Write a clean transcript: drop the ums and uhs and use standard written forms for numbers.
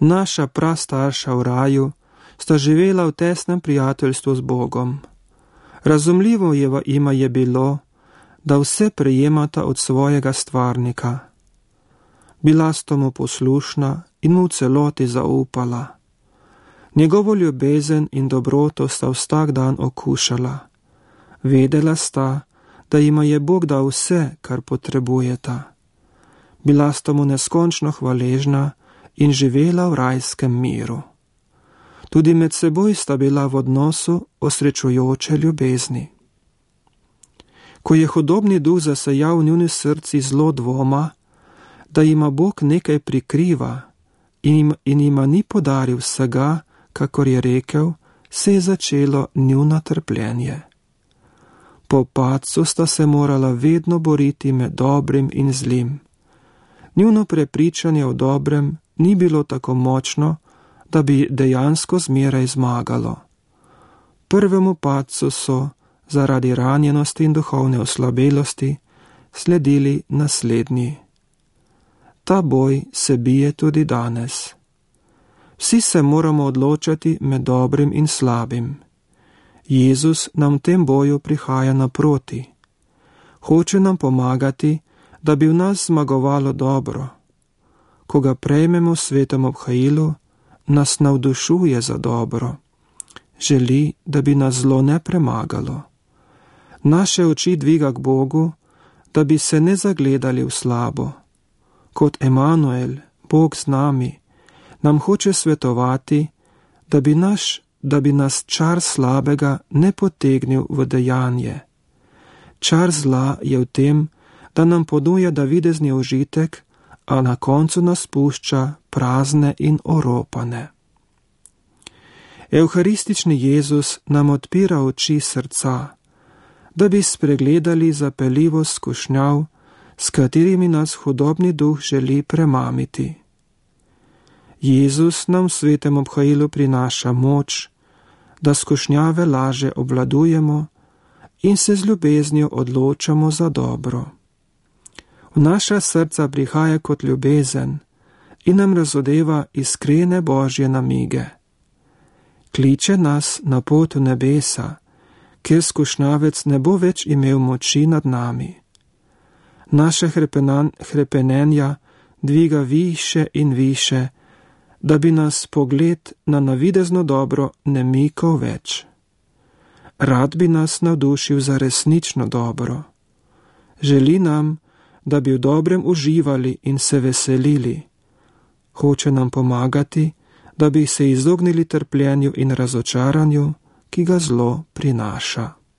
Naša prastarša v raju sta živela v tesnem prijateljstvu z Bogom. Razumljivo jima je bilo, da vse prejemata od svojega stvarnika. Bila sta mu poslušna in mu v celoti zaupala. Njegovo ljubezen in dobroto sta vsak dan okušala. Vedela sta, da jima je Bog dal vse, kar potrebujeta. Bila sta mu neskončno hvaležna in živela v rajskem miru. Tudi med seboj sta bila v odnosu osrečujoče ljubezni. Ko je hudobni duh zasejal v njuni srci zlo dvoma, da jima Bog nekaj prikriva in jima ni podaril vsega, kakor je rekel, se je začelo njuno trpljenje. Po padcu sta se morala vedno boriti med dobrim in zlim. Njuno prepričanje o dobrem ni bilo tako močno, da bi dejansko zmeraj zmagalo. Prvemu padcu so, zaradi ranjenosti in duhovne oslabelosti, sledili naslednji. Ta boj se bije tudi danes. Vsi se moramo odločati med dobrim in slabim. Jezus nam v tem boju prihaja naproti. Hoče nam pomagati, da bi v nas zmagovalo dobro. Ko ga prejmemo v svetem obhajilu, nas navdušuje za dobro. Želi, da bi nas zlo ne premagalo. Naše oči dviga k Bogu, da bi se ne zagledali v slabo. Kot Emanuel, Bog z nami, nam hoče svetovati, da bi nas čar slabega ne potegnil v dejanje. Čar zla je v tem, da nam ponuja navidezni užitek, a na koncu nas pušča prazne in oropane. Evharistični Jezus nam odpira oči srca, da bi spregledali zapeljivost skušnjav, s katerimi nas hudobni duh želi premamiti. Jezus nam v svetem obhajilu prinaša moč, da skušnjave laže obvladujemo in se z ljubeznijo odločamo za dobro. V naša srca prihaja kot ljubezen in nam razodeva iskrene Božje namige. Kliče nas na pot v nebesa, kjer skušnjavec ne bo več imel moči nad nami. Naše hrepenenja dviga više in više, da bi nas pogled na navidezno dobro ne mikal več. Rad bi nas navdušil za resnično dobro. Želi nam, da bi v dobrem uživali in se veselili. Hoče nam pomagati, da bi se izognili trpljenju in razočaranju, ki ga zlo prinaša.